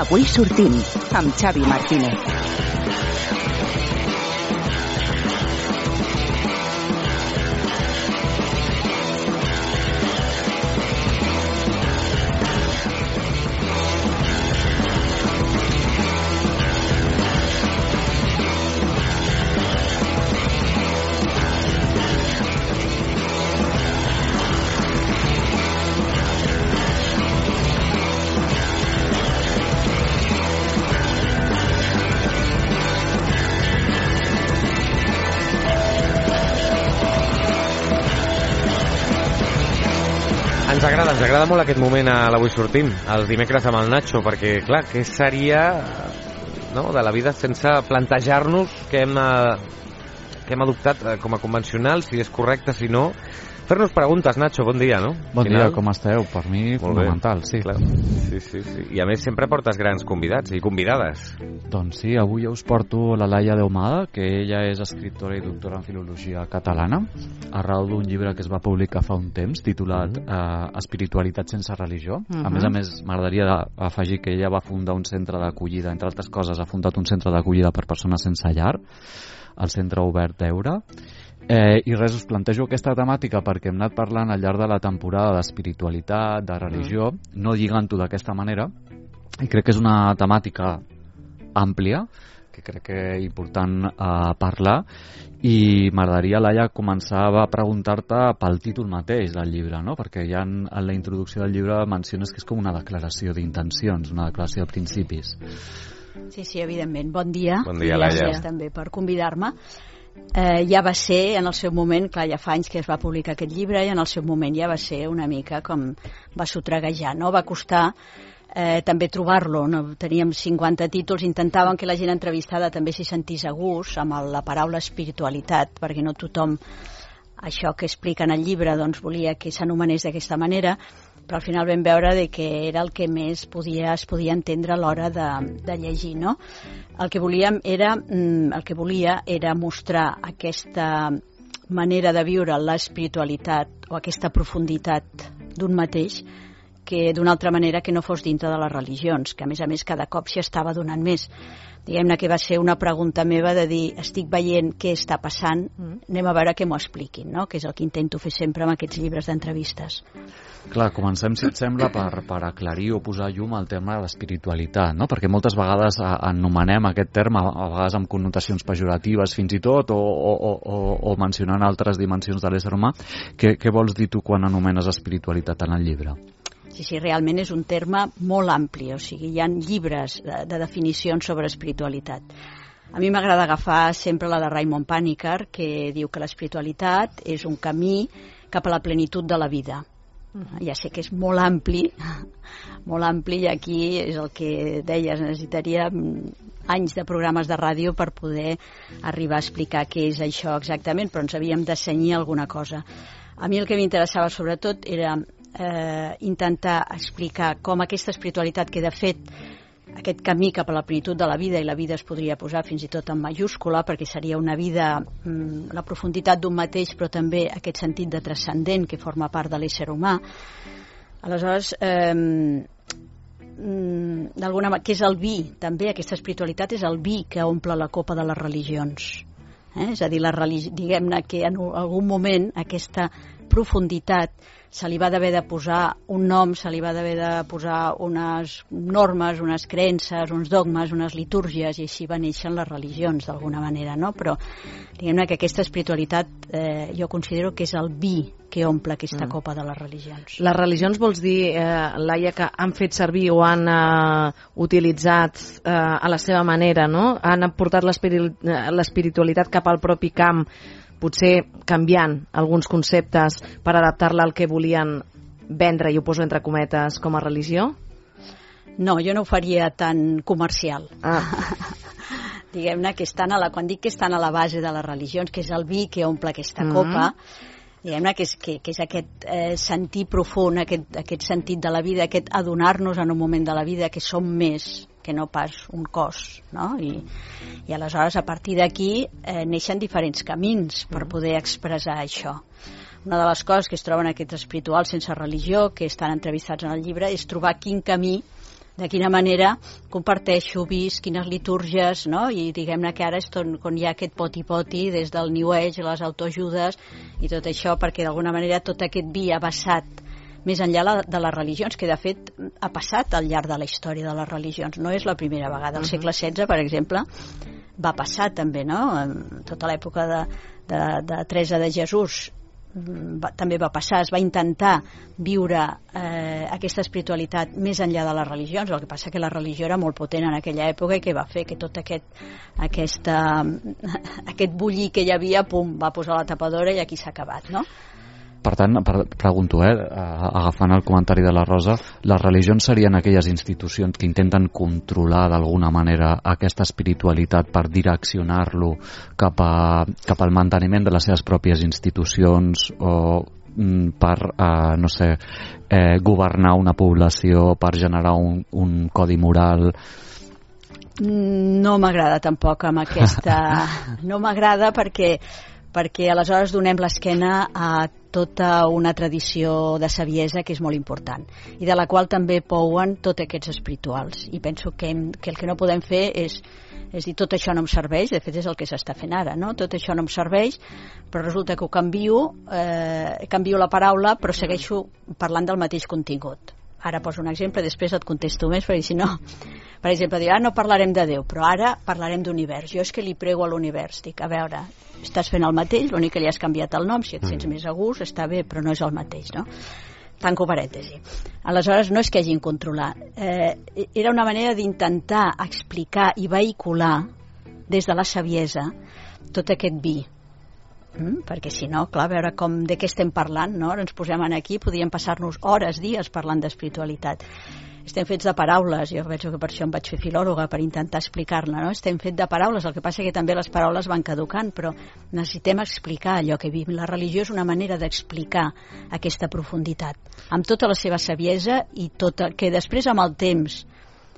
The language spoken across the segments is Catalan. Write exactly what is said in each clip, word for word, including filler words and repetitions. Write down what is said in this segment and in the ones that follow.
Avui sortim amb Xavi Martínez. Ens agrada, ens agrada molt aquest moment a l'Avui Sortim, els dimecres amb el Nacho, perquè, clar, què seria, no?, de la vida sense plantejar-nos què hem, què hem adoptat com a convencional, si és correcte, si no. Fer-nos preguntes, Nacho, bon dia, no? Bon dia, com esteu? Per mi, molt fonamental, bé. sí. Clar. Sí, sí, sí. I a més sempre portes grans convidats i convidades. Doncs sí, avui us porto la Laia Deumada, que ella és escriptora i doctora en filologia catalana, arrel d'un llibre que es va publicar fa un temps, titulat eh, Espiritualitat sense religió. Uh-huh. A més a més, m'agradaria afegir que ella va fundar un centre d'acollida, entre altres coses, ha fundat un centre d'acollida per persones sense llar, el Centre Obert d'Eure. Eh, I res, us plantejo aquesta temàtica perquè hem anat parlant al llarg de la temporada d'espiritualitat, de religió, mm. no lligant-ho d'aquesta manera, i crec que és una temàtica àmplia, que crec que és important eh, parlar, i m'agradaria, Laia, començar a preguntar-te pel títol mateix del llibre, no? Perquè ja en, en la introducció del llibre menciones que és com una declaració d'intencions, una declaració de principis. Sí, sí, evidentment. Bon dia. Bon dia, Laia. Gràcies també per convidar-me. Eh, ja va ser en el seu moment, clar, ja fa anys que es va publicar aquest llibre, i en el seu moment ja va ser una mica com va sotreguejar, no? Va costar eh, també trobar-lo, no? Teníem cinquanta títols, intentàvem que la gent entrevistada també s'hi sentís a gust amb el, la paraula espiritualitat, perquè no tothom això que explica en el llibre doncs volia que s'anomenés d'aquesta manera, però al final vam veure de que era el que més podia, es podia entendre a l'hora de, de llegir, no? El que volíem era, el que volia era mostrar aquesta manera de viure l'espiritualitat o aquesta profunditat d'un mateix que d'una altra manera que no fos dintre de les religions, que a més a més cada cop s'hi estava donant més. Diguem-ne que va ser una pregunta meva de dir, estic veient què està passant, anem a veure que m'ho expliquin, no? Que és el que intento fer sempre amb aquests llibres d'entrevistes. Clar, comencem, si et sembla, per, per aclarir o posar llum al tema de l'espiritualitat, no? Perquè moltes vegades anomenem aquest terme, a vegades amb connotacions pejoratives fins i tot, o, o, o, o mencionant altres dimensions de l'ésser humà. Què, què vols dir tu quan anomenes espiritualitat en el llibre? Sí, sí, realment és un terme molt ampli, o sigui, hi ha llibres de, de definicions sobre espiritualitat. A mi m'agrada agafar sempre la de Raymond Panikkar, que diu que l'espiritualitat és un camí cap a la plenitud de la vida. Uh-huh. Ja sé que és molt ampli, molt ampli, i aquí és el que deies, necessitaria anys de programes de ràdio per poder arribar a explicar què és això exactament, però ens havíem de cenyir alguna cosa. A mi el que m'interessava sobretot era eh, intentar explicar com aquesta espiritualitat, que de fet aquest camí cap a la plenitud de la vida, i la vida es podria posar fins i tot en majúscula perquè seria una vida, mm, la profunditat d'un mateix, però també aquest sentit de transcendent que forma part de l'ésser humà. Aleshores, eh, mm, d'alguna manera, què és el vi? També aquesta espiritualitat és el vi que omple la copa de les religions. Eh? És a dir, la religi- diguem-ne que en algun moment aquesta profunditat se li va d'haver de posar un nom, se li va d'haver de posar unes normes, unes creences, uns dogmes, unes litúrgies, i així va néixer les religions d'alguna manera, no? Però diguem-ne que aquesta espiritualitat eh, jo considero que és el vi que omple aquesta mm. copa de les religions. Les religions vols dir, eh, Laia, que han fet servir o han eh, utilitzat eh, a la seva manera, no? Han portat l'espiritualitat cap al propi camp, potser canviant alguns conceptes per adaptar-la al que volien vendre, i ho poso entre cometes, com a religió? No, jo no ho faria tan comercial. Ah. Diguem-ne que estan a la, quan dic que estan a la base de les religions, que és el vi que omple aquesta mm-hmm. copa, diguem-ne que és, que, que és aquest eh, sentir profund, aquest, aquest sentit de la vida, aquest adonar-nos en un moment de la vida que som més que no pas un cos, no? I, i aleshores a partir d'aquí eh, neixen diferents camins per poder expressar això. Una de les coses que es troben aquests espirituals sense religió, que estan entrevistats en el llibre, és trobar quin camí de quina manera comparteixo, visc, quines litúrgies, no? I diguem-ne que ara és tot, quan hi ha aquest poti-poti des del New Age, les autoajudes i tot això, perquè d'alguna manera tot aquest vi ha vessat més enllà de les religions, que de fet ha passat al llarg de la història de les religions, no és la primera vegada. Al segle setze, per exemple, va passar també, no? En tota l'època de, de, de Teresa de Jesús va, també va passar, es va intentar viure eh, aquesta espiritualitat més enllà de les religions. El que passa que la religió era molt potent en aquella època i que va fer que tot aquest aquesta, aquest bullir que hi havia, pum, va posar la tapadora i aquí s'ha acabat, no? Per tant, per, pregunto, eh, agafant el comentari de la Rosa, les religions serien aquelles institucions que intenten controlar d'alguna manera aquesta espiritualitat per direccionar-lo cap, a, cap al manteniment de les seves pròpies institucions o per, eh, no sé, eh, governar una població, per generar un, un codi moral. No m'agrada tampoc amb aquesta... No m'agrada perquè perquè aleshores donem l'esquena a tota una tradició de saviesa que és molt important i de la qual també pouen tots aquests espirituals, i penso que, hem, que el que no podem fer és, és dir tot això no em serveix, de fet és el que s'està fent ara, no? Tot això no em serveix, però resulta que ho canvio, eh, canvio la paraula però segueixo parlant del mateix contingut. Ara poso un exemple, després et contesto més, perquè si no, per exemple, dic, ah, no parlarem de Déu, però ara parlarem d'univers. Jo és que li prego a l'univers, dic, a veure, estàs fent el mateix, l'únic que li has canviat el nom, si et sents més a gust, està bé, però no és el mateix, no? Tanco parèntesi. Aleshores, no és que hagin controlat. Eh, era una manera d'intentar explicar i vehicular des de la saviesa tot aquest vi. Mm, perquè si no, clar, a veure com, de què estem parlant, no? Ens posem aquí, podríem passar-nos hores, dies parlant d'espiritualitat. Estem fets de paraules, jo penso que per això em vaig fer filòloga, per intentar explicar-la, no? Estem fets de paraules, el que passa que també les paraules van caducant, però necessitem explicar allò que vivim. La religió és una manera d'explicar aquesta profunditat, amb tota la seva saviesa i tota, que després amb el temps,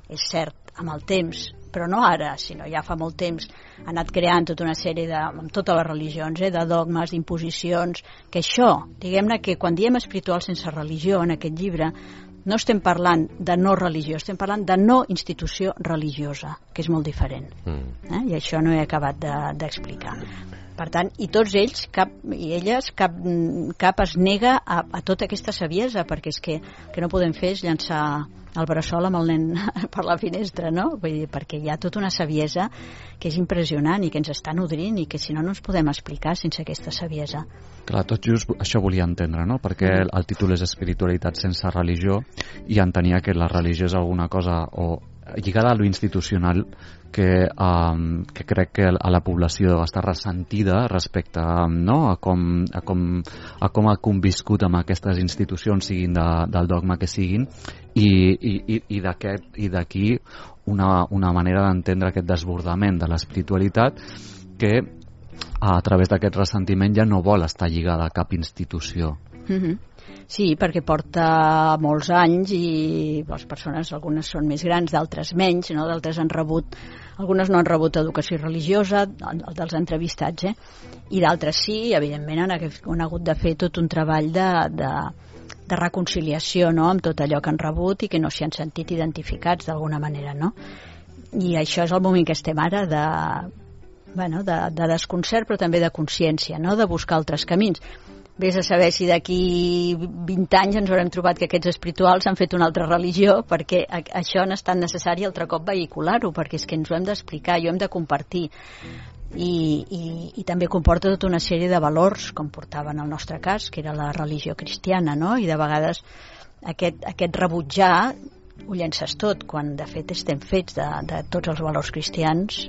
és cert, amb el temps, però no ara, sinó ja fa molt temps, ha anat creant tota una sèrie de, amb totes les religions, eh, de dogmes, d'imposicions, que això, diguem-ne que quan diem espiritual sense religió en aquest llibre, no estem parlant de no religió, estem parlant de no institució religiosa, que és molt diferent. Eh? I això no he acabat d'explicar. De, per tant, i tots ells, cap, i elles, cap, cap es nega a, a tota aquesta saviesa, perquè és que el que no podem fer és llançar el bressol amb el nen per la finestra, no? Vull dir, perquè hi ha tota una saviesa que és impressionant i que ens està nodrint i que si no no ens podem explicar sense aquesta saviesa. Clar, tot just això volia entendre, no? Perquè el títol és espiritualitat sense religió i entenia que la religió és alguna cosa o lligada a lo institucional que, um, que crec que a la població està ressentida respecte no? a, com, a, com, a com ha conviscut amb aquestes institucions, siguin de, del dogma que siguin, i, i, i d'aquí una, una manera d'entendre aquest desbordament de l'espiritualitat que a través d'aquest ressentiment ja no vol estar lligada a cap institució. Mm-hmm. Sí, perquè porta molts anys i les persones, algunes són més grans, d'altres menys, no? D'altres han rebut, algunes no han rebut educació religiosa, dels entrevistats, eh? I d'altres sí, evidentment han, han hagut de fer tot un treball de, de, de reconciliació, no? Amb tot allò que han rebut i que no s'hi han sentit identificats d'alguna manera, no? I això és el moment que estem ara de, bueno, de, de desconcert però també de consciència, no? De buscar altres camins. Vés a saber si d'aquí vint anys ens haurem trobat que aquests espirituals han fet una altra religió, perquè això no és tan necessari altre cop vehicular-ho, perquè és que ens ho hem d'explicar i ho hem de compartir. I, i, i també comporta tota una sèrie de valors, com portava en el nostre cas, que era la religió cristiana, no? I de vegades aquest, aquest rebutjar ho llences tot, quan de fet estem fets de, de tots els valors cristians.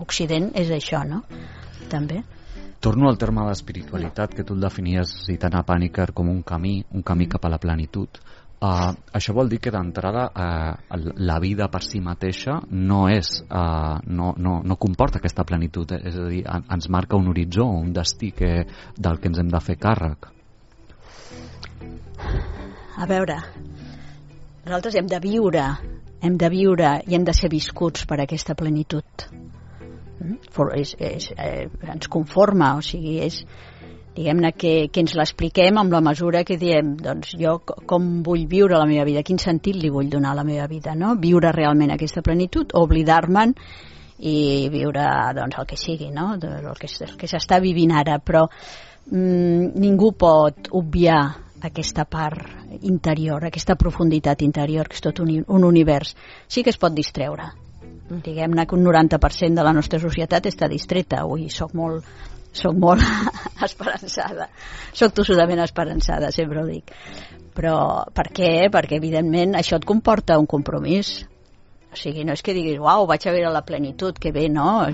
Occident és això, no? També. Torno al terme d'espiritualitat, que tu el definies citant a Paniker com un camí, un camí cap a la plenitud. Uh, això vol dir que d'entrada uh, la vida per si mateixa no és, uh, no, no, no comporta aquesta plenitud, eh? És a dir, ens marca un horitzó, un destí que, del que ens hem de fer càrrec. A veure, nosaltres hem de viure, hem de viure i hem de ser viscuts per aquesta plenitud. For, és, és, eh, ens conforma, o sigui, és, diguem-ne que, que ens l'expliquem amb la mesura que diem, doncs jo com vull viure la meva vida, quin sentit li vull donar a la meva vida, no? Viure realment aquesta plenitud o oblidar-me'n i viure doncs, el que sigui, no? El que, el que s'està vivint ara, però mm, ningú pot obviar aquesta part interior, aquesta profunditat interior, que és tot un, un univers. Sí que es pot distreure. Diguem-ne que un noranta per cent de la nostra societat està distreta. Avui soc molt, soc molt esperançada. Soc tossudament esperançada, sempre ho dic. Però per què? Perquè, evidentment, això et comporta un compromís. O sigui, no és que diguis, uau, vaig a veure la plenitud, que bé, no?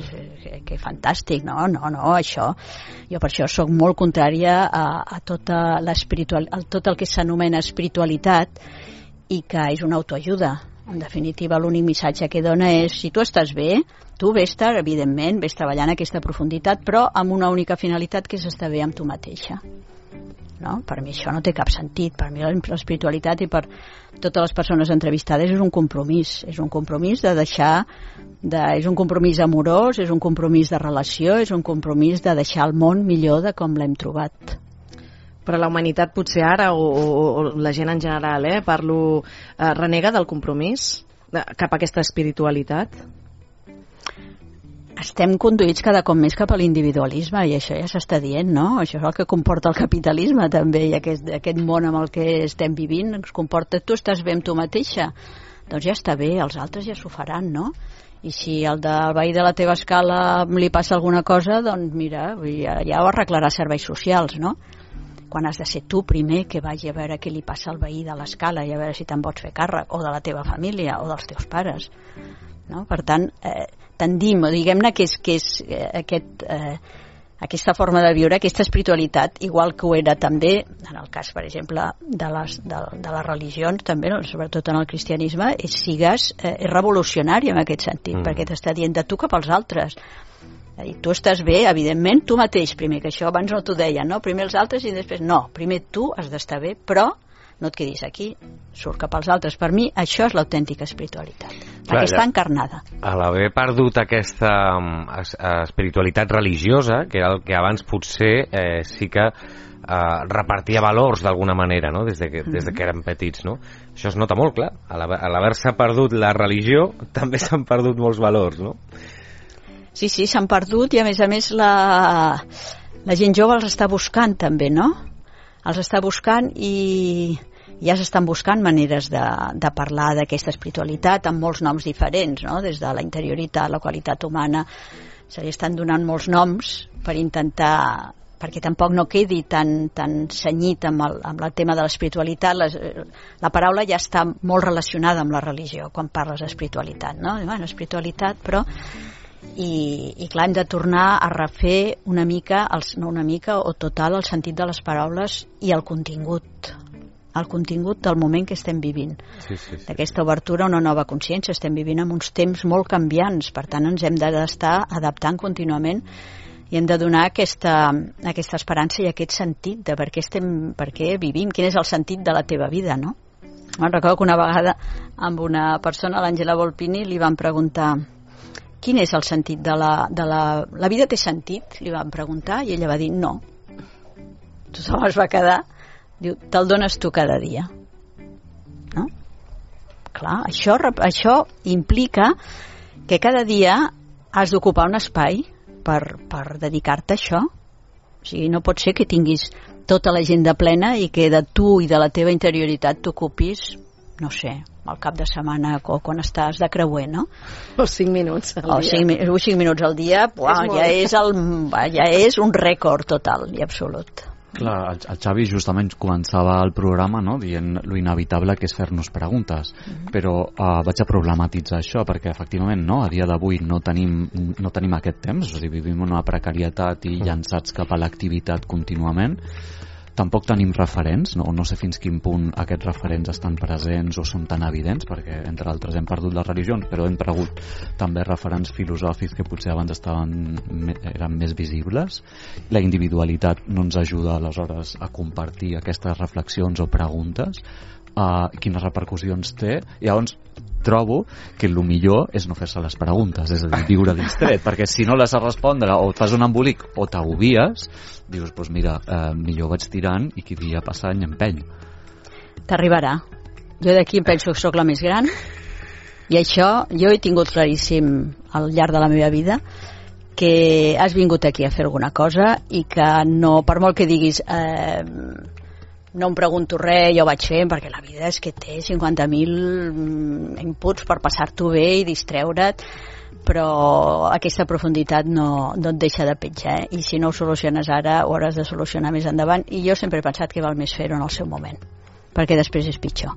Que, que fantàstic, no? No, no, això... Jo per això sóc molt contrària a, a tota l'espiritual, a tot el que s'anomena espiritualitat i que és una autoajuda. En definitiva, l'únic missatge que dona és, si tu estàs bé, tu vés-te, evidentment, vés treballant aquesta profunditat, però amb una única finalitat, que és estar bé amb tu mateixa. No? Per mi això no té cap sentit. Per mi l'espiritualitat i per totes les persones entrevistades és un compromís. És un compromís de deixar... De, és un compromís amorós, és un compromís de relació, és un compromís de deixar el món millor de com l'hem trobat. Però la humanitat potser ara, o, o, o la gent en general, eh, parlo, eh, renega del compromís de, cap a aquesta espiritualitat? Estem conduïts cada cop més cap a l'individualisme i això ja s'està dient, no? Això és el que comporta el capitalisme també i aquest, aquest món amb el que estem vivint ens comporta, tu estàs bé amb tu mateixa, doncs ja està bé, els altres ja s'ho faran, no? I si el del veí de la teva escala li passa alguna cosa, doncs mira, ja, ja ho arreglarà serveis socials, no? Quan has de ser tu primer que vagi a veure què li passa al veí de l'escala i a veure si te'n pots fer càrrec, o de la teva família, o dels teus pares, no? Per tant, eh, tendim, o diguem-ne que és, que és eh, aquest, eh, aquesta forma de viure, aquesta espiritualitat, igual que ho era també, en el cas, per exemple, de les, de, de les religions, també, no? Sobretot en el cristianisme, és, sigues eh, és revolucionari en aquest sentit, mm. perquè t'està dient de tu cap als altres. És a dir, tu estàs bé, evidentment, tu mateix primer, que això abans no t'ho deien, no? Primer els altres i després no, primer tu has d'estar bé, però no et quedis aquí, surt cap als altres. Per mi això és l'autèntica espiritualitat, Clar, aquesta ja, encarnada. A l'haver perdut aquesta um, es, espiritualitat religiosa, que era el que abans potser eh, sí que eh, repartia valors d'alguna manera, no? des, de que, des de que érem petits, no? Això es nota molt, clar. A l'haver-se perdut la religió també s'han perdut molts valors, no? Sí, sí, s'han perdut i a més a més la, la gent jove els està buscant també, no? Els està buscant i ja s'estan buscant maneres de, de parlar d'aquesta espiritualitat amb molts noms diferents, no? Des de la interioritat, la qualitat humana, se li estan donant molts noms per intentar, perquè tampoc no quedi tan, tan senyit amb el, amb el tema de l'espiritualitat. Les, la paraula ja està molt relacionada amb la religió quan parles d'espiritualitat, no? Bueno, espiritualitat, però... I, i clar, hem de tornar a refer una mica, els, no una mica o total, el sentit de les paraules i el contingut el contingut del moment que estem vivint, sí, sí, sí. d'aquesta obertura a una nova consciència. Estem vivint en uns temps molt canviants, per tant ens hem d'estar adaptant contínuament i hem de donar aquesta, aquesta esperança i aquest sentit de per què, estem, per què vivim, quin és el sentit de la teva vida, no? Me'n recordo que una vegada amb una persona, l'Àngela Volpini, li van preguntar quin és el sentit de la... De la... la vida té sentit? Li van preguntar i ella va dir no. Tothom es va quedar. Diu, te'l dones tu cada dia. No? Clar, això, això implica que cada dia has d'ocupar un espai per, per dedicar-te a això. O sigui, no pot ser que tinguis tota l'agenda plena i que de tu i de la teva interioritat t'ocupis, no sé, al cap de setmana o quan estàs de creuer, no? O cinc minuts al o dia. Cinc, o cinc minuts al dia, uah, és ja, és el, ja és un rècord total i absolut. Clar, el, el Xavi justament començava el programa, no?, dient lo inevitable que és fer-nos preguntes, mm-hmm. però uh, vaig a problematitzar això perquè efectivament no, a dia d'avui no tenim, no tenim aquest temps, o sigui, vivim una precarietat i llançats cap a l'activitat contínuament. Tampoc tenim referents, no? no sé fins quin punt aquests referents estan presents o són tan evidents, perquè entre altres hem perdut les religions, però hem perdut també referents filosòfics que potser abans estaven, eren més visibles. La individualitat no ens ajuda aleshores a compartir aquestes reflexions o preguntes. uh, quines repercussions té. I llavors trobo que el millor és no fer-se les preguntes, és a dir, viure distret, perquè si no les has respondre o et fas un embolic o t'agobies, dius, doncs mira, eh, millor vaig tirant i qui dia passant empeny. T'arribarà. Jo d'aquí em penso que sóc la més gran i això jo he tingut claríssim al llarg de la meva vida, que has vingut aquí a fer alguna cosa i que no, per molt que diguis eh, no em pregunto res, jo vaig fent, perquè la vida és que té cinquanta mil inputs per passar-t'ho bé i distreure't, però aquesta profunditat no, no et deixa de petjar, eh? I si no ho soluciones ara ho hauràs de solucionar més endavant, i jo sempre he pensat que val més fer-ho en el seu moment, perquè després és pitjor.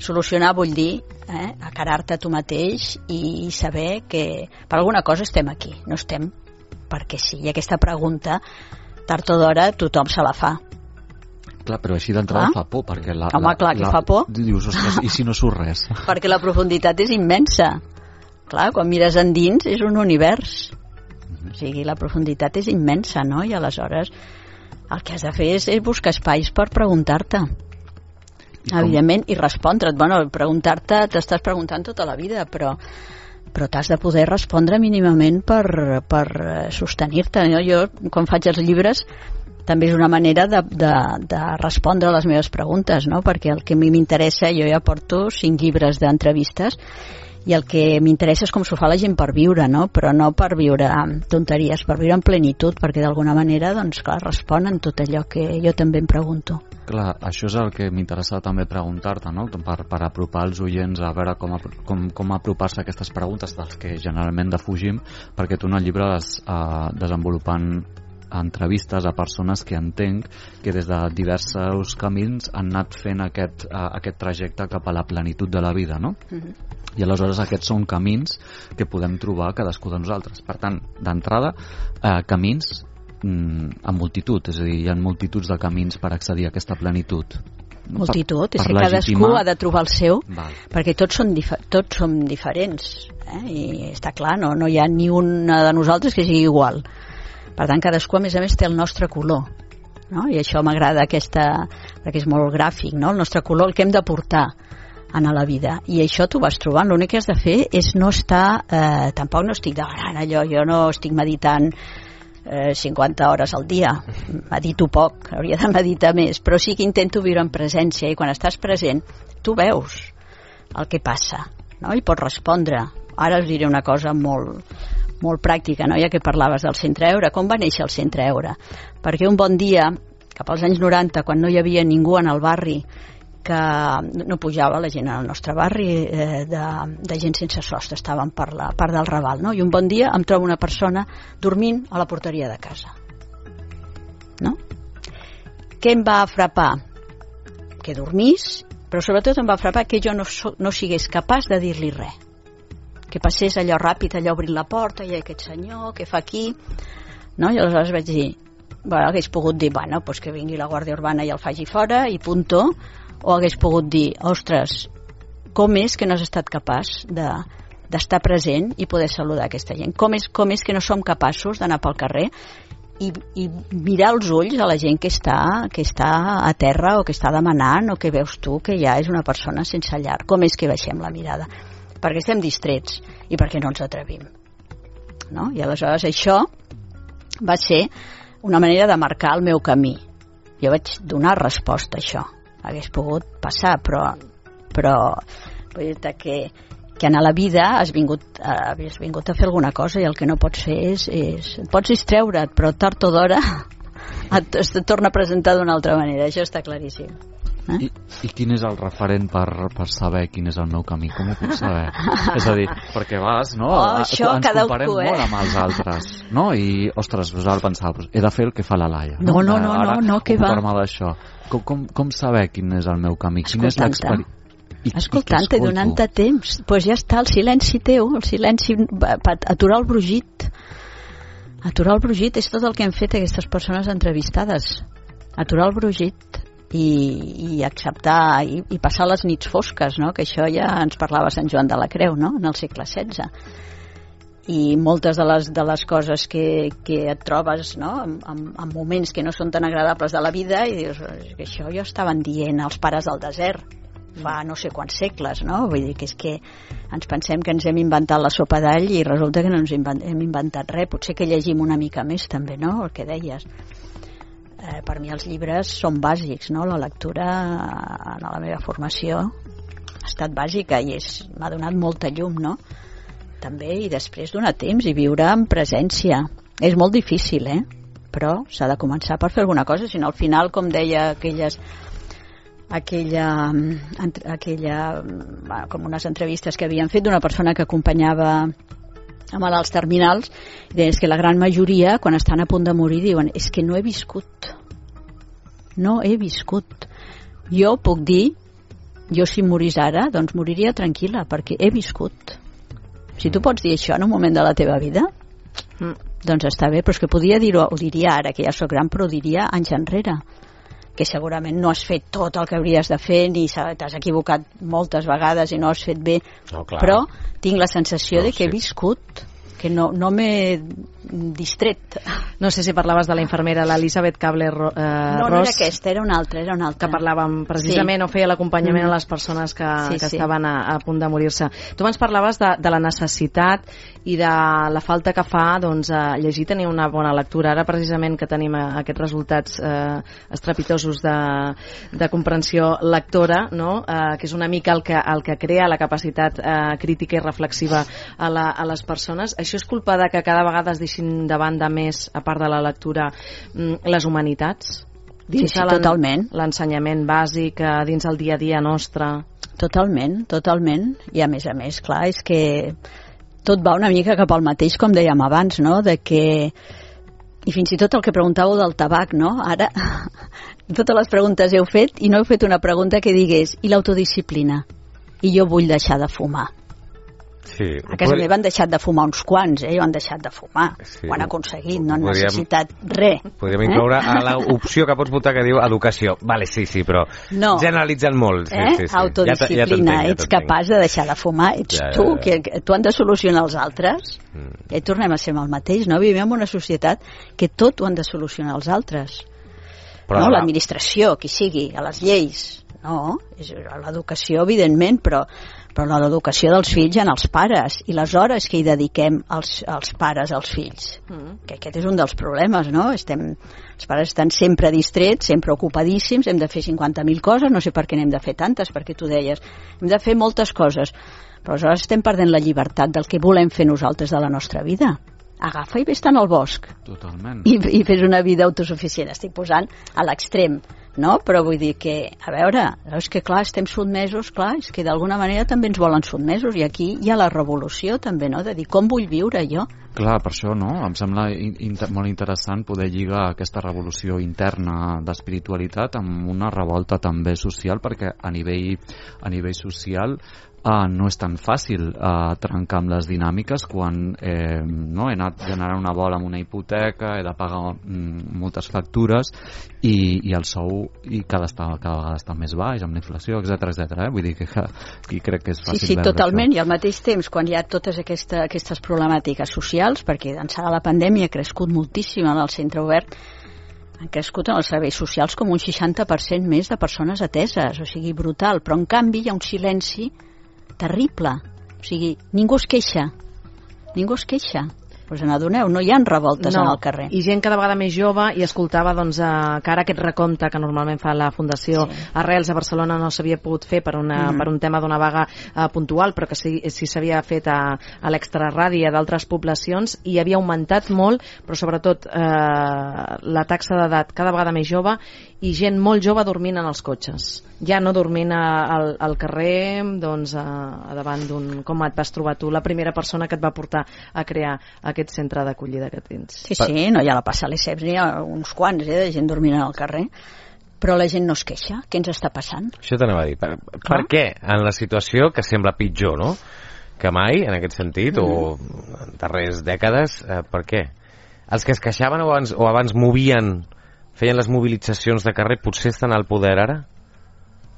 Solucionar vull dir eh, acarar-te a tu mateix i saber que per alguna cosa estem aquí, no estem perquè sí, i aquesta pregunta tard o d'hora tothom se la fa. Clar, però així d'entrada fa por, perquè la... Home, la, clar, que la, fa por. Dius, ostres, i si no surt res? Perquè la profunditat és immensa. Clar, quan mires endins és un univers. O sigui, la profunditat és immensa, no? I aleshores el que has de fer és, és buscar espais per preguntar-te. Evidentment, i respondre't. Bueno, preguntar-te, t'estàs preguntant tota la vida, però però t'has de poder respondre mínimament per, per sostenir-te. No? Jo, quan faig els llibres, també és una manera de, de, de respondre a les meves preguntes, no? Perquè el que a mi m'interessa, jo ja porto cinc llibres d'entrevistes, i el que m'interessa és com s'ho fa la gent per viure, no? Però no per viure amb tonteries, per viure en plenitud, perquè d'alguna manera, doncs clar, responen tot allò que jo també em pregunto. Clar, això és el que m'interessa també preguntar-te, no? Per, per apropar els oients a veure com, com, com apropar-se a aquestes preguntes dels que generalment defugim, perquè tu en el llibre vas uh, desenvolupant entrevistes a persones que entenc que des de diversos camins han anat fent aquest, uh, aquest trajecte cap a la plenitud de la vida, no? Mm-hmm. I aleshores aquests són camins que podem trobar cadascú de nosaltres. Per tant, d'entrada, eh, camins mm, en multitud, és a dir, hi ha multituds de camins per accedir a aquesta plenitud. Multitud, per, és per que cadascú legitimar... ha de trobar el seu, Val. Perquè tots som, dif tots som diferents, eh? I està clar, no, no hi ha ni una de nosaltres que sigui igual. Per tant, cadascú, a més a més, té el nostre color, no? I això m'agrada, aquesta, perquè és molt gràfic, no? El nostre color, el que hem de portar en la vida, i això t'ho vas trobant. L'únic que has de fer és no estar eh, tampoc no estic demanant allò, jo no estic meditant eh, cinquanta hores al dia, medito poc, hauria de meditar més, però sí que intento viure en presència, i quan estàs present tu veus el que passa, no? I pots respondre. Ara us diré una cosa molt, molt pràctica, no? Ja que parlaves del Centre Eure, com va néixer el Centre Eure? Perquè un bon dia, cap als anys noranta, quan no hi havia ningú en el barri, que no pujava la gent al nostre barri, eh, de, de gent sense sostre, estaven per la part del Raval, no? I un bon dia em trobo una persona dormint a la porteria de casa, no? Què em va frapar? Que dormís, però sobretot em va frapar que jo no, so, no sigués capaç de dir-li res, que passés allò ràpid, allò obrint la porta, i aquest senyor, què fa aquí, no? I aleshores vaig dir, bueno, hagués pogut dir, bueno, pues que vingui la Guàrdia Urbana i el faci fora, i punto. O hagués pogut dir, ostres, com és que no has estat capaç de, d'estar present i poder saludar aquesta gent? Com és, com és que no som capaços d'anar pel carrer i, i mirar els ulls a la gent que està, que està a terra o que està demanant, o que veus tu que ja és una persona sense llar? Com és que baixem la mirada? Perquè estem distrets i perquè no ens atrevim, no? I aleshores això va ser una manera de marcar el meu camí. Jo vaig donar resposta a això. Hagués pogut passar, però, però vull dir-te que, que en la vida has vingut, has vingut a fer alguna cosa, i el que no pots fer és, és et pots distreure't, però tard o d'hora et, et torna a presentar d'una altra manera. Això està claríssim. Eh? I, I quin és el referent per, per saber quin és el meu camí? Com ho puc saber? És a dir, perquè vas, no? Oh, això, ens comparem eh? molt amb els altres, no? I, ostres, pues ara pensava, he de fer el que fa la Laia. No, no, no, no, no, que va. D'això. Com, com, com saber quin és el meu camí? Quin és l'experiència? Escoltant-te i donant-te temps. Doncs pues ja està, el silenci teu, el silenci, aturar el brugit. Aturar el brugit és tot el que hem fet aquestes persones entrevistades. Aturar el brugit i, i acceptar i, i passar les nits fosques, no? Que això ja ens parlava Sant Joan de la Creu, no? En el segle setze. I moltes de les, de les coses que, que et trobes, no? en, en, en moments que no són tan agradables de la vida, i dius que això ja estaven dient els pares del desert, fa no sé quants segles, no? Vull dir que és que ens pensem que ens hem inventat la sopa d'all i resulta que no ens hem inventat res. Potser que llegim una mica més també, no? El que deies. Eh, per mi els llibres són bàsics, no? La lectura en la meva formació ha estat bàsica i és, m'ha donat molta llum, no? També, i després donar temps i viure en presència. És molt difícil, eh? Però s'ha de començar per fer alguna cosa, si no al final, com deia aquelles aquella, aquella com unes entrevistes que havien fet d'una persona que acompanyava a malalts terminals, i deien que la gran majoria quan estan a punt de morir diuen és que no he viscut no he viscut jo puc dir, jo si morís ara doncs moriria tranquil·la perquè he viscut. Si tu pots dir això en un moment de la teva vida, mm. doncs està bé, però és que podia dir-ho, ho diria ara que ja sóc gran, però ho diria anys enrere, que segurament no has fet tot el que hauries de fer ni t'has equivocat moltes vegades i no has fet bé, no, però tinc la sensació no, de que sí. he viscut, que no, no m'he distret. No sé si parlaves de la infermera, l'Elisabeth Kabler-Ross. Eh, no, no era aquesta, era una altra, era una altra. Que parlàvem precisament, sí. o feia l'acompanyament mm. a les persones que, sí, que sí. estaven a, a punt de morir-se. Tu ens parlaves de, de la necessitat i de la falta que fa doncs, a llegir, tenir una bona lectura. Ara precisament que tenim aquests resultats eh, estrepitosos de, de comprensió lectora, no? eh, que és una mica el que, el que crea la capacitat eh, crítica i reflexiva a, la, a les persones. Això és culpa de que cada vegada es deixin de banda més, a part de la lectura, les humanitats? Dins sí, sí, totalment. L'ensenyament bàsic, dins el dia a dia nostre? Totalment, totalment. I a més a més, clar, és que tot va una mica cap al mateix, com dèiem abans, no? De que... I fins i tot el que preguntàveu del tabac, no? Ara, totes les preguntes heu fet i no heu fet una pregunta que digués i l'autodisciplina? I jo vull deixar de fumar. Sí, a casa meva han deixat de fumar uns quants, eh? Ho han deixat de fumar. Sí, ho han aconseguit, no han podríem, necessitat res. Podríem incloure eh? a l'opció que pots votar que diu educació. Vale, sí, sí, però no. generalitzen molt. Sí, eh? sí, sí. Autodisciplina, ja ja ets capaç de deixar de fumar, ets ja, tu, ja, ja. que tu han de solucionar els altres. Mm. I tornem a ser el mateix, no? Vivim en una societat que tot ho han de solucionar els altres. Però no? L'administració, qui sigui, a les lleis. No, és l'educació, evidentment, però, però l'educació dels fills en els pares i les hores que hi dediquem als, als pares als fills. Mm. Que aquest és un dels problemes, no? Estem, els pares estan sempre distrets, sempre ocupadíssims, hem de fer cinquanta mil coses, no sé per què n'hem de fer tantes, perquè tu deies, hem de fer moltes coses, però aleshores estem perdent la llibertat del que volem fer nosaltres de la nostra vida. Agafa i vés-te'n al bosc. Totalment. I, i fes una vida autosuficient. Estic posant a l'extrem, no? Però vull dir que, a veure, és que clar, estem sotmesos, clar, és que d'alguna manera també ens volen sotmesos, i aquí hi ha la revolució també, no? De dir, com vull viure jo? Clar, per això, no? Em sembla inter molt interessant poder lligar aquesta revolució interna d'espiritualitat amb una revolta també social, perquè a nivell, a nivell social Uh, no és tan fàcil uh, trencar amb les dinàmiques quan eh, no, he anat generant una bola amb una hipoteca, he de pagar mm, moltes factures i, i el sou i cada, està, cada vegada està més baix amb la inflació, etcètera etcètera. Eh? Vull dir que aquí crec que és fàcil sí, sí, veure totalment, això. I al mateix temps quan hi ha totes aquesta, aquestes problemàtiques socials, perquè d'ençà de la pandèmia ha crescut moltíssim en el centre obert, han crescut en els serveis socials com un seixanta per cent més de persones ateses, o sigui, brutal, però en canvi hi ha un silenci terrible, o sigui, ningú es queixa, ningú es queixa. Us n'adoneu, no hi ha revoltes no, en el carrer. I gent cada vegada més jove, i escoltava doncs, eh, que ara aquest recompte que normalment fa la Fundació sí. Arrels a Barcelona no s'havia pogut fer per, una, mm. per un tema d'una vaga eh, puntual, però que sí si s'havia fet a, a l'extraradi a d'altres poblacions, i havia augmentat molt, però sobretot eh, la taxa d'edat cada vegada més jove i gent molt jove dormint en els cotxes. Ja no dormint a, al, al carrer, doncs, a, a davant d'un... Com et vas trobar tu, la primera persona que et va portar a crear aquest centre d'acollida que tens? Sí, sí, no hi ha la passa a les C E P S, n'hi ha uns quants, eh, de gent dormint al carrer, però la gent no es queixa. Què ens està passant? Això t'anava a dir. Per, per què, en la situació que sembla pitjor, no?, que mai, en aquest sentit, mm. o en darreres dècades, eh, per què? Els que es queixaven o abans, o abans movien, feien les mobilitzacions de carrer, potser estan al poder ara?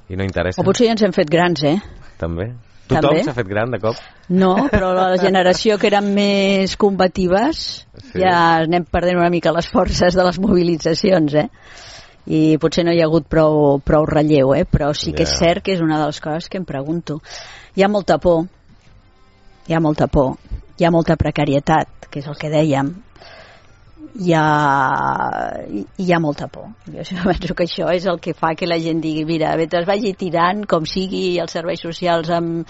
I no interessa? O potser ja ens hem fet grans, eh? També. Tothom s'ha fet gran de cop? No, però la generació que eren més combatives sí. ja anem perdent una mica les forces de les mobilitzacions, eh? i potser no hi ha hagut prou, prou relleu, eh? Però sí que yeah. és cert que és una de les coses que em pregunto. Hi ha molta por, hi ha molta por, hi ha molta precarietat, que és el que dèiem, hi ha, hi ha molta por. Jo penso que això és el que fa que la gent digui, mira, mentre es vagi tirant, com sigui, els serveis socials em,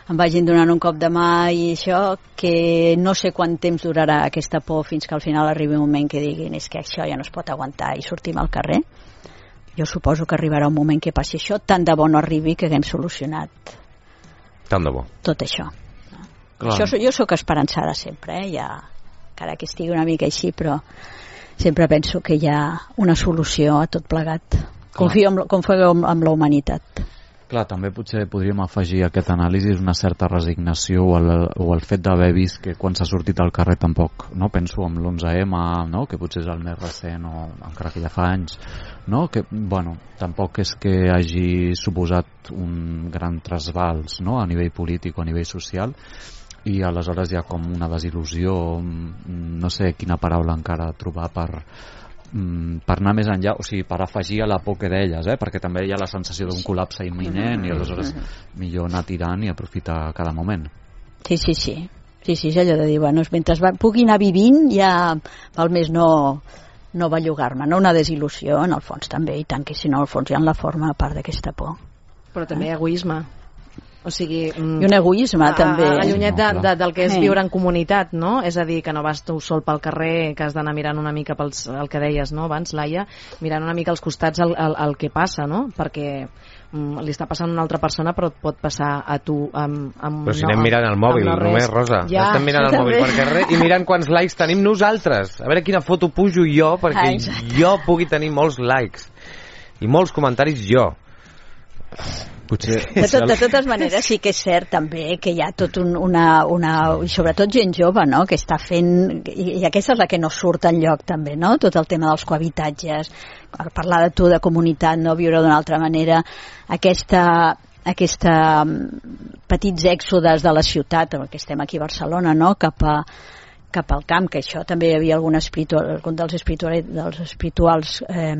em vagin donant un cop de mà i això, que no sé quant temps durarà aquesta por fins que al final arribi un moment que diguin és que això ja no es pot aguantar i sortim al carrer. Jo suposo que arribarà un moment que passi això, tant de bo no arribi que haguem solucionat tant de bo. Tot això. això jo sóc esperançada sempre, eh? Ja, encara que estigui una mica així, però sempre penso que hi ha una solució a tot plegat. Confio en, confio en, en la humanitat. Clar, també potser podríem afegir a aquest anàlisi una certa resignació o el, o el fet d'haver vist que quan s'ha sortit al carrer tampoc, no? Penso en l'onze eme, no? Que potser és el més recent, o encara que ja fa anys, no? Que, bueno, tampoc és que hagi suposat un gran trasbals, no? A nivell polític o a nivell social, i aleshores hi ha com una desil·lusió, no sé quina paraula encara trobar per, per anar més enllà, o sigui, per afegir a la por que deies, eh? Perquè també hi ha la sensació d'un col·lapse imminent i aleshores millor anar tirant i aprofitar cada moment. Sí, sí, sí, sí, sí, és allò de dir, bueno, mentre va, pugui anar vivint ja val més no, no bellugar-me, no? Una desil·lusió en el fons també, i tant que si no al fons hi ha la forma a part d'aquesta por. Però també eh? egoisme. O sigui, i un egoisme a, també allunyat de, de, del que és viure en comunitat, no? És a dir, que no vas tu sol pel carrer, que has d'anar mirant una mica pels, el que deies, no? Abans, Laia, mirant una mica als costats el, el, el que passa, no? Perquè mm, li està passant a una altra persona, però et pot passar a tu amb, amb però si no, anem mirant el mòbil no només, Rosa, ja, estem mirant el mòbil per carrer i mirant quants likes tenim nosaltres, a veure quina foto pujo jo perquè ah, jo pugui tenir molts likes i molts comentaris jo. Potser, de, tot, de totes maneres sí que és cert també que hi ha tot un, una, una i sobretot gent jove, no? Que està fent i, i aquesta és la que no surt enlloc també, no? Tot el tema dels cohabitatges, parlar de tu de comunitat, no viure d'una altra manera, aquesta aquesta petits èxodes de la ciutat, que estem aquí a Barcelona, no? Cap a cap al camp, que això també hi havia algun espiritual, algun dels espirituals, dels espirituals eh,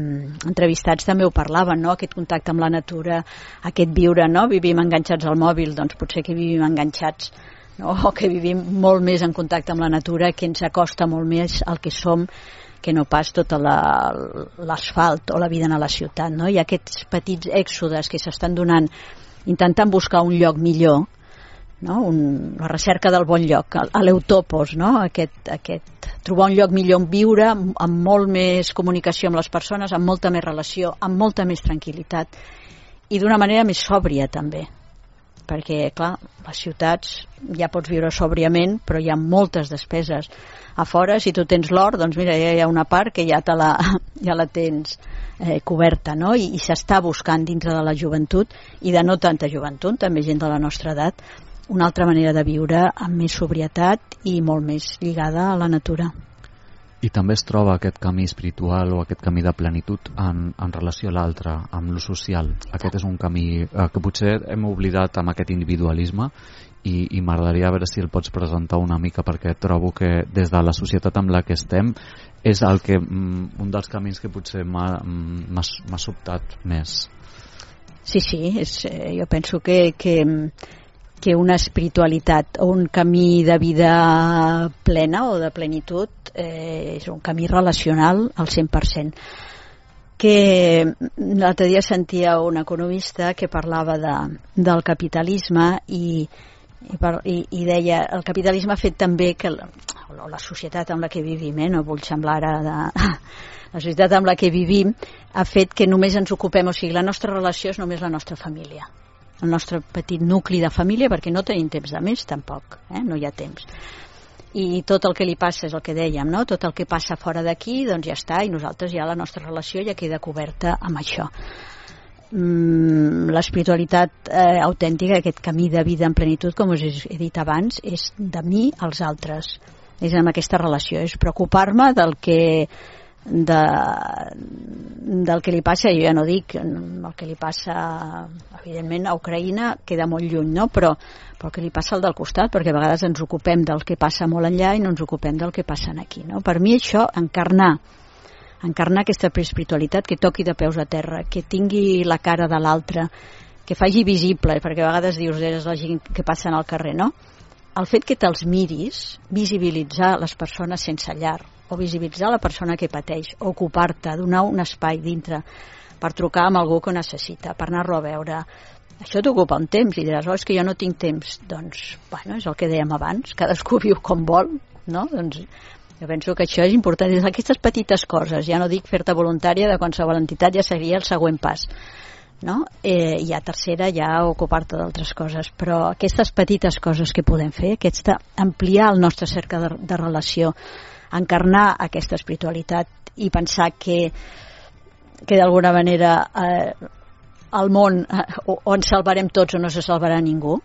entrevistats també ho parlaven, no? Aquest contacte amb la natura, aquest viure, no? Vivim enganxats al mòbil, doncs potser que vivim enganxats, no? O que vivim molt més en contacte amb la natura, que ens acosta molt més al que som, que no pas tota l'asfalt o la vida en la ciutat, no? Hi ha aquests petits èxodes que s'estan donant, intentant buscar un lloc millor, no? Un, la recerca del bon lloc, l'eutopos, no? Aquest, aquest, trobar un lloc millor on viure, amb, amb molt més comunicació amb les persones, amb molta més relació, amb molta més tranquil·litat i d'una manera més sòbria també, perquè clar, les ciutats ja pots viure sòbriament, però hi ha moltes despeses a fora. Si tu tens l'or, doncs mira, ja hi ha una part que ja, te la, ja la tens eh, coberta, no? I, i s'està buscant dintre de la joventut i de no tanta joventut, també gent de la nostra edat, una altra manera de viure amb més sobrietat i molt més lligada a la natura. I també es troba aquest camí espiritual o aquest camí de plenitud en, en relació a l'altre, amb lo social. Aquest és un camí eh, que potser hem oblidat amb aquest individualisme i, i m'agradaria veure si el pots presentar una mica, perquè trobo que des de la societat amb la que estem és el que, un dels camins que potser m'ha sobtat més. Sí, sí, és, eh, jo penso que, que que una espiritualitat o un camí de vida plena o de plenitud eh, és un camí relacional al cent per cent. Que l'altre dia sentia un economista que parlava de, del capitalisme i, i, per, i, i deia el capitalisme ha fet també que la, la societat amb la que vivim, eh, no vull semblar ara de... la societat amb la que vivim ha fet que només ens ocupem, o sigui, la nostra relació és només la nostra família, el nostre petit nucli de família, perquè no tenim temps de més tampoc, eh? No hi ha temps, i tot el que li passa és el que dèiem, no? Tot el que passa fora d'aquí doncs ja està, i nosaltres ja la nostra relació ja queda coberta amb això. mm, l'espiritualitat eh, autèntica, aquest camí de vida en plenitud, com us he dit abans, és de mi als altres, és amb aquesta relació, és preocupar-me del que de, del que li passa, jo ja no dic el que li passa evidentment a Ucraïna, queda molt lluny, no? però, però el que li passa al del costat, perquè a vegades ens ocupem del que passa molt enllà i no ens ocupem del que passa aquí, no? Per mi això, encarnar encarnar aquesta espiritualitat que toqui de peus a terra, que tingui la cara de l'altre, que faci visible, perquè a vegades dius és la gent que passa al carrer, no? El fet que te'ls miris, visibilitzar les persones sense llar, o visibilitzar la persona que pateix, o ocupar-te, donar un espai dintre per trucar amb algú que ho necessita, per anar-lo a veure. Això t'ocupa un temps i diràs, oh, és que jo no tinc temps. Doncs, bueno, és el que dèiem abans, cadascú viu com vol, no? Doncs jo penso que això és important. Aquestes petites coses, ja no dic fer-te voluntària de qualsevol entitat, ja seria el següent pas, no? Eh, i a tercera ja ocupar-te d'altres coses, però aquestes petites coses que podem fer, aquesta, ampliar el nostre cercle de, de relació, encarnar aquesta espiritualitat i pensar que, que d'alguna manera eh, el món eh, o, o ens salvarem tots o no se salvarà ningú,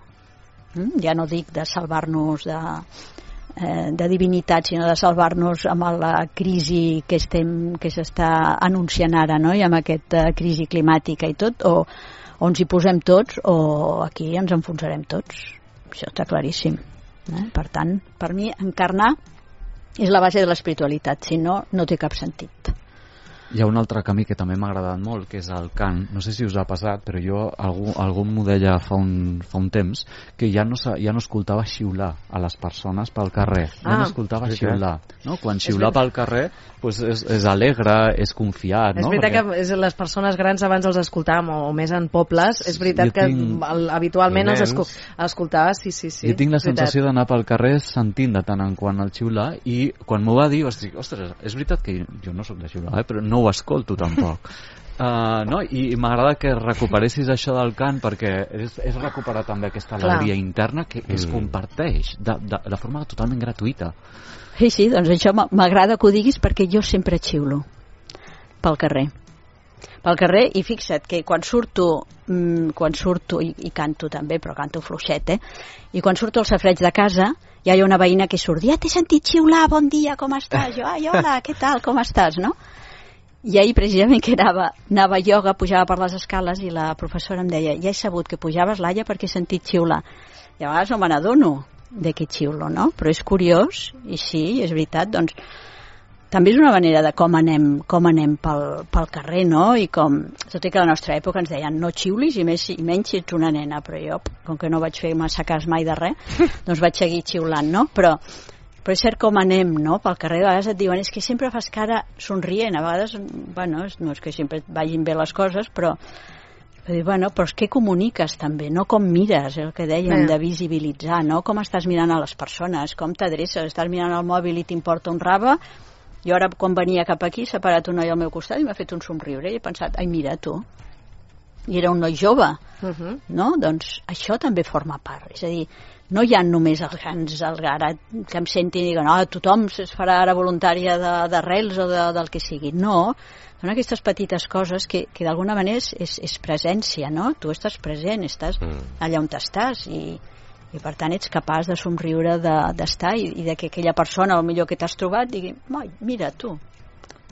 mm? Ja no dic de salvar-nos de, eh, de divinitat, sinó de salvar-nos amb la crisi que estem que s'està anunciant ara, no? I amb aquesta crisi climàtica i tot, o, o ens hi posem tots o aquí ens enfonsarem tots. Això està claríssim, eh? Per tant, per mi encarnar és la base de l'espiritualitat, si no, no té cap sentit. Hi ha un altre camí que també m'ha agradat molt, que és el cant. No sé si us ha passat, però jo, algú, algú m'ho deia fa un, fa un temps, que ja no, ja no escoltava xiular a les persones pel carrer. Ja ah, no escoltava sí, xiular. No? Quan xiular pel carrer pues és, és alegre, és confiat. És no? veritat Perquè... que és, les persones grans abans els escoltàvem, o, o més en pobles, és veritat que tinc... el, habitualment els escol... escoltava, sí, sí, sí. Jo tinc la sensació d'anar pel carrer sentint de tant en quant el xiular, i quan m'ho va dir vaig dir, ostres, és veritat que jo no soc de xiular, eh, però no ho escolto tampoc. Uh, no? I, i m'agrada que recuperessis això del cant, perquè és, és recuperar també aquesta alegria Clar. interna que, que mm. es comparteix de, de, de forma totalment gratuïta. Sí, sí, doncs això m'agrada que ho diguis, perquè jo sempre xiulo pel carrer. Pel carrer, i fixa't que quan surto, mmm, quan surto i, i canto també, però canto fluixet, eh? I quan surto al safareig de casa, ja hi ha una veïna que surt, ja t'he sentit xiular, bon dia, com estàs? Jo, ai, hola, què tal, com estàs, no? I ahir precisament que anava, anava a ioga, pujava per les escales i la professora em deia, ja he sabut que pujaves, Laia, perquè he sentit xiular. I a vegades no me n'adono de que xiulo, no? Però és curiós, i sí, és veritat, doncs també és una manera de com anem, com anem pel, pel carrer, no? I com, tot i que a la nostra època ens deien no xiulis i, més, i menys si ets una nena, però jo, com que no vaig fer massa cas mai de res, doncs vaig seguir xiulant, no? Però però és cert com anem, no? Pel carrer a vegades et diuen és que sempre fas cara somrient, a vegades, bueno, no és que sempre vagin bé les coses, però, però, bueno, però és que comuniques també, no com mires, el que dèiem de visibilitzar, no? Com estàs mirant a les persones, com t'adreces, estàs mirant el mòbil i t'importa un rave, i ara quan venia cap aquí s'ha parat un noi al meu costat i m'ha fet un somriure i he pensat, ai mira tu, i era un noi jove, uh-huh. no? Doncs això també forma part, és a dir, no hi ha només els grans ara que em sentin i diuen, oh, tothom es farà ara voluntària d'arrels o de, del que sigui. No, són aquestes petites coses que, que d'alguna manera és, és, és presència, no? Tu estàs present, estàs mm. allà on estàs i, i per tant ets capaç de somriure d'estar de, i, i de que aquella persona, el millor que t'has trobat, digui, mira tu,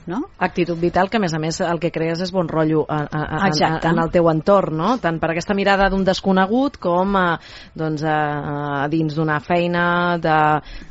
no? Actitud vital, que a més a més el que crees és bon rotllo a, a, a, en, en el teu entorn, no? Tant per aquesta mirada d'un desconegut com a, doncs a, a dins d'una feina de,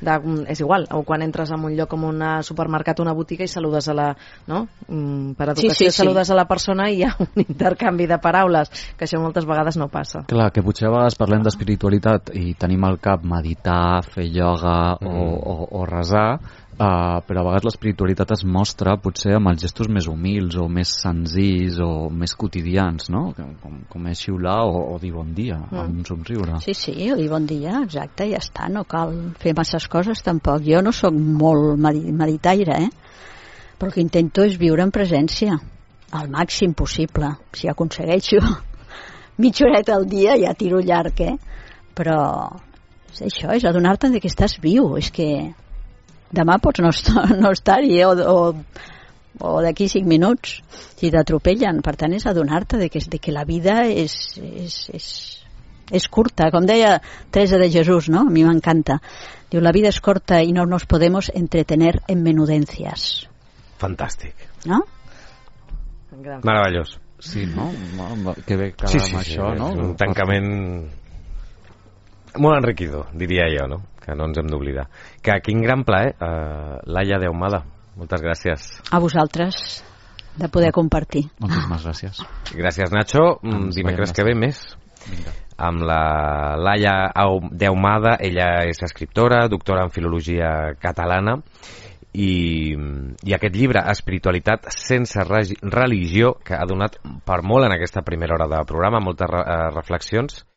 de, és igual, o quan entres en un lloc com un supermercat o una botiga i saludes a la, no? Per educació sí, sí, saludes sí. a la persona i hi ha un intercanvi de paraules, que això moltes vegades no passa. Clar, que potser a vegades parlem d'espiritualitat i tenim al cap meditar, fer ioga mm. o, o, o resar, Uh, però a vegades l'espiritualitat es mostra potser amb els gestos més humils o més senzills o més quotidians, no? Com, com és xiular o, o dir bon dia mm. amb un somriure. Sí, sí, o dir bon dia, exacte, ja està, no cal fer masses coses tampoc. Jo no sóc molt meditaire, eh? Però el que intento és viure en presència al màxim possible. Si aconsegueixo mitja horeta al dia ja tiro llarg, eh? Però és això, és adonar-te que estàs viu, és que demà pots no estar, no estar-hi o, o, o d'aquí cinc minuts si t'atropellen. Per tant és adonar-te de que, de que la vida és, és, és, és curta, com deia Teresa de Jesús, no? A mi m'encanta, diu, la vida és corta i no nos podemos entretener en menudencias. Fantàstic, no? Meravellós. Sí, no? Que bé que sí, sí, això, sí, no? Un tancament molt enriquidor, diria jo, no? Que no ens hem d'oblidar. Que quin gran plaer, eh, Laia de Ahumada, moltes gràcies. A vosaltres, de poder compartir. Moltíssimes gràcies. Gràcies, Nacho. Dimecres que ve més. Vinga. Amb la Laia Deumada. Ella és escriptora, doctora en filologia catalana, i, i aquest llibre, Espiritualitat sense religió, que ha donat per molt en aquesta primera hora de programa, moltes re reflexions.